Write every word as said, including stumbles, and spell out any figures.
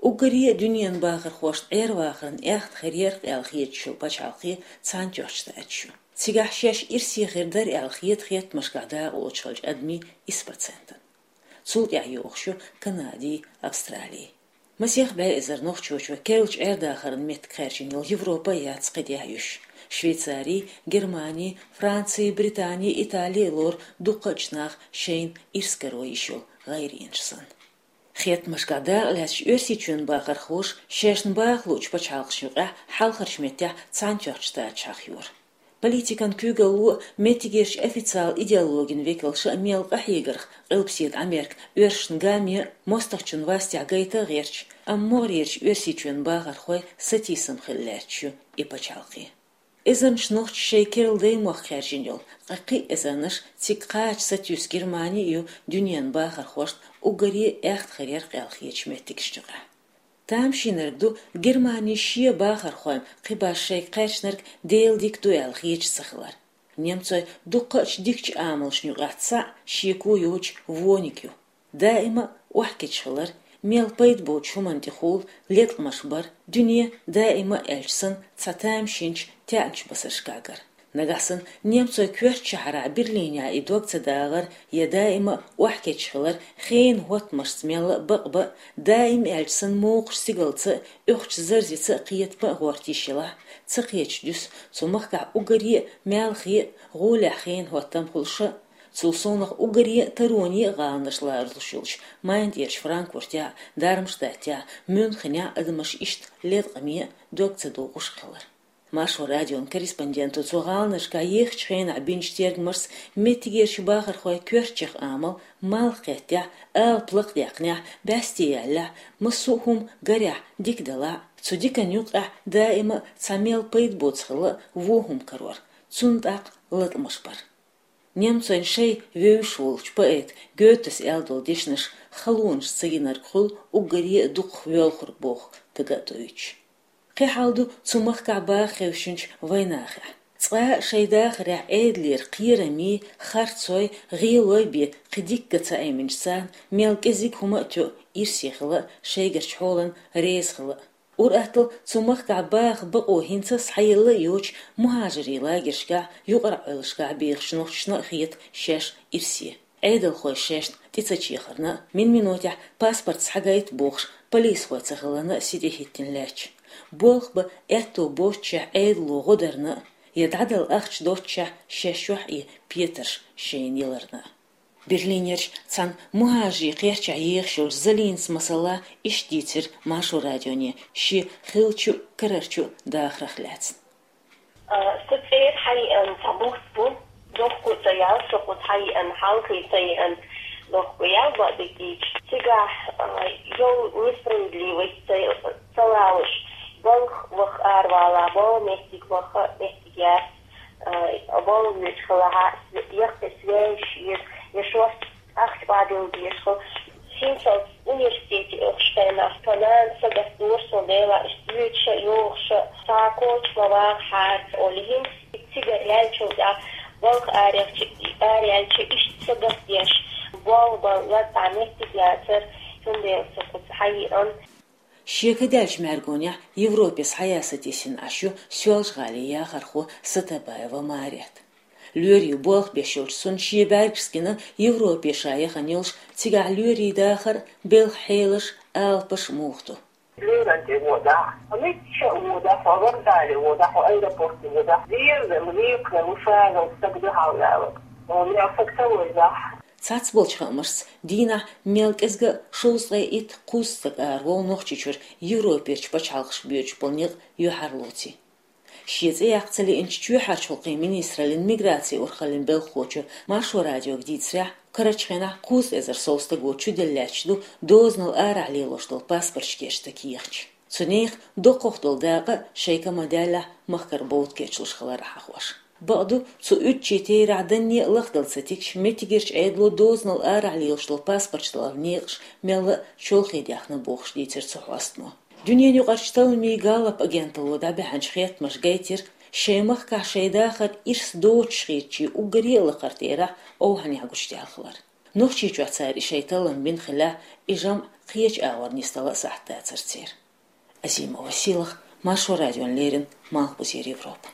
Уггаре а дуьненан бахархошна Ӏер-вахаран аьхта хир яр-кх аьлла хеташ йолу пачхьалкх Цхьаьнатоьхначу Штаташ ю. Цигахь шаьш ирсе хир дара аьлла хета хеттамашкахь дакъалоцуш хиллачу адамийн исс процентана. Цул тӀаьхьа йогӀуш ю Канади, Австрали. Масех бӀе эзар нохчочо керлачу Ӏер-дахаран меттиг хаьржина йолу Европа а яц кхин тӀехь юьсуш. Швейцари, Германи, Франци, Британи, Итали а лору дуккхачу наха шайна ирс каро йиш йолу гӀайренаш санна. Хеттамашкахь дакъа лаьцначу Оьрсийчоьнан бахархоша шайшна баха луучу пачхьалкхашна юкъахь хьалхарчу меттехь Цхьаьнатоьхначу Штаташ хьахайора. Политикан куьйгалло а, меттигерчу официал идеологин векалша а мел къахьегарх, Къилбаседа Америка оьрсашна гамме а, мостагӀчун вастехь гайта а гӀерташ, амма могӀарерчу Оьрсийчоьнан бахархойн сатийсам хилла лаьтташ ю и пачхьалкх. Эзарнаш нохчий шайн керла даймохк хаьржина йолу, ткъа кхин а эзарнаш цига кхача сатуьйсу Германи а ю дуьненан бахархошна уггаре а аьхта хир яр-кх аьлла хетачу меттигашна юкъахь. Тамашийнарг ду Германи шен бахархойн кхин башха шайга кхаьчнарг Делан дика ду аьлла хеташ ца хилар. Немцойн дуккхачу дикачу амалшна юкъахь цхьаъ шеко йоцуш вониг ю. Даима а охьакхечхилар, мел пайда боцучу хӀуманна тӀехула леткъамаш бар, дуьне даима а аьлча санна цхьа тамашийначу таьӀначу басаршкахь гар. Нагахь санна немцойн коьртачу шахьарахь Берлинехь и дог ца дагӀар я даима а охьакхечхилар хенан хӀоттамашца мелла а бакъ бан, даима аьлча санна мокхачу стигалца а, оьхучу зарзица а кхетам а гӀорта йиш елахь, ца кхеташ дуьсу цу махкахь уггаре а маьлхе а, гӀолехь хенан хӀоттам хуьлуш а, цул совнах уггаре а тароне а гӀаланаш лоруш йолчу Майнцерчу Франкфуртехь а, Дармштадтехь а, Мюнхенехь а адамаш иштта леткъаме а, дог ца догӀуш а хилар. Маршо радион корреспонденто цу гӀаланашкахь ехачу хенахь бинчу тергамашца меттигерчу бахархойн коьртачех амал малх кхеттехь, алапа лакхадаьккхинехь, бӀаьсте яьллехь, массо а хӀума гарехь, дика делахь а, цу диканна юкъахь даима а цхьа мел пайда боцу хилла вон хӀума карор, цунна тӀаккха латкъамаш бар. Немцойн шайн вевзаш волчу поэта Гётес аьлла долу дешнаш халонаш ца гинарг хуьлу уггаре а дукхах воьлхург боху дага а тӀеоьцуш. Кхин хьал ду цу махкахь баха хевшинчу вайнахехь. Цкъа а шайн дахарехь Ӏедалера кхераммий, харцой, гӀелой бен кхин дика ган ца Ӏеминчу царна мел кӀезиг хӀума а тоьу ирсе хила а шайгарчу хьолан реза хила а. Ур-атталла цу махкахь баха бакъо хӀинца а схьаелла а йоцуш, мухӀажарийн лагершкахь, юкъара Ӏойлашкахь бехачу нохчашна а хета шаьш ирсе. Ӏедалхой шайшна тӀе ца чехарна а, мин-минотехь паспорт схьагайта бохуш, полисхой ца хиларна а сий тӀехӀиттина лаьтташ. Болх бан аьтто боццушехь Ӏедало гӀо дарна а, я дӀадала ахча доццушехь шаьш чохь и петарш шайна яларна а. Берлинерчу цхьана мухӀажарийн кхерчахь ехаш йолчу Залинас масала иштта дийцира Маршо радионе шен хиллачу а, карарчу а дахарх лаьцна. А, сан цӀера хьайиъна цхьа бутт бу, дохко а ца яьлла со кхуза хьайиъна, хьалхе ца йиъна, дохко яьлла бакъдерг дийцича. Цигахь, а, йолу несправедливость ца, ца лалуш, балха ваха аравала, бала меттиг ваха, меттиг яц, а, бала вуьйцу хилахь, яккхий связь еза, я шорта ахча бадилла деза хила. ХӀинцалц университете оьхуш хенахь, тхан нана сагатдора суна, Дела, иштта йоьдуш а, йогӀуш а, цхьа коча ма вагӀахьара, олий, хӀинца цигара яьллачул тӀаьхьа, балха араяьлча, араяьлча, иштта сагатдеш, болх бан лазахь меттиг яцара, цундела со кхуза хьайиъна. Шен кадаьллачу мӀаьргонехь Европе схьаян сатийсина Ӏаш ю Соьлжа-ГӀалин яхархо Сатабаева Марет. Лоьрийн болх беш йолчу цунна шен бӀаьргашца гина Европе ша яхана йолуш, цигахь лоьрийн дахар, белхан хьелаш, алапаш муха ду. Лоьран тӀе водахь, мичча а водахь, хьо вокзале водахь, хьо аэропорте водахь, деза, векхар, вуьшагӀал стаг дуьхьал ваьлла. Хьо мел стаг ца вевзахь. Цхьацболчу хаамашца, дийнахь мел кӀезга а шовзткъе итт-кхузткъа стаг араволу Нохчийчуьра Европерчу пачхьалкхашка боьдуш болу некъ юьхьарлоций. Шен цӀе яккха ца лиъначу чоьхьарчу гӀуллакхийн министраллин миграцин урхаллин белхахочо Маршо радиога дийцарехь, карарчу хенахь кхузткъа эзар сов стага чуделла лаьтташ ду дозанал арахь лелош долу паспорташ гечдан кехаташ. Цу нехан доккхах долу дакъа а шайн ка ма-даьллехь махкара бовда кечлуш хилар хьахош. Бакъду, цу уьдучийн терахь данне а лахдала ца тигча, меттигерчу Ӏедало дозанал арахь лелаш долу паспорташ даларан некъаш мелла а чолхе даьхна бохуш дийцира цу хьостано. Дуьненаюкъарчу талламийн Галлап агенталло дӀабаьхьначу хеттамаша гайтира, шайн махкахь шайн дахар ирс доцуш хетачийн уггаре а лакхара терахь овхӀанехь гучудаьлла хилар. Нохчийчохь цара и шайн таллам бина хилахь, и жамӀ кхеча агӀор нисдала а сахьат дацар церан. Азимова Сийлаха, Маршо радиона леррина, Малхбузера Европа.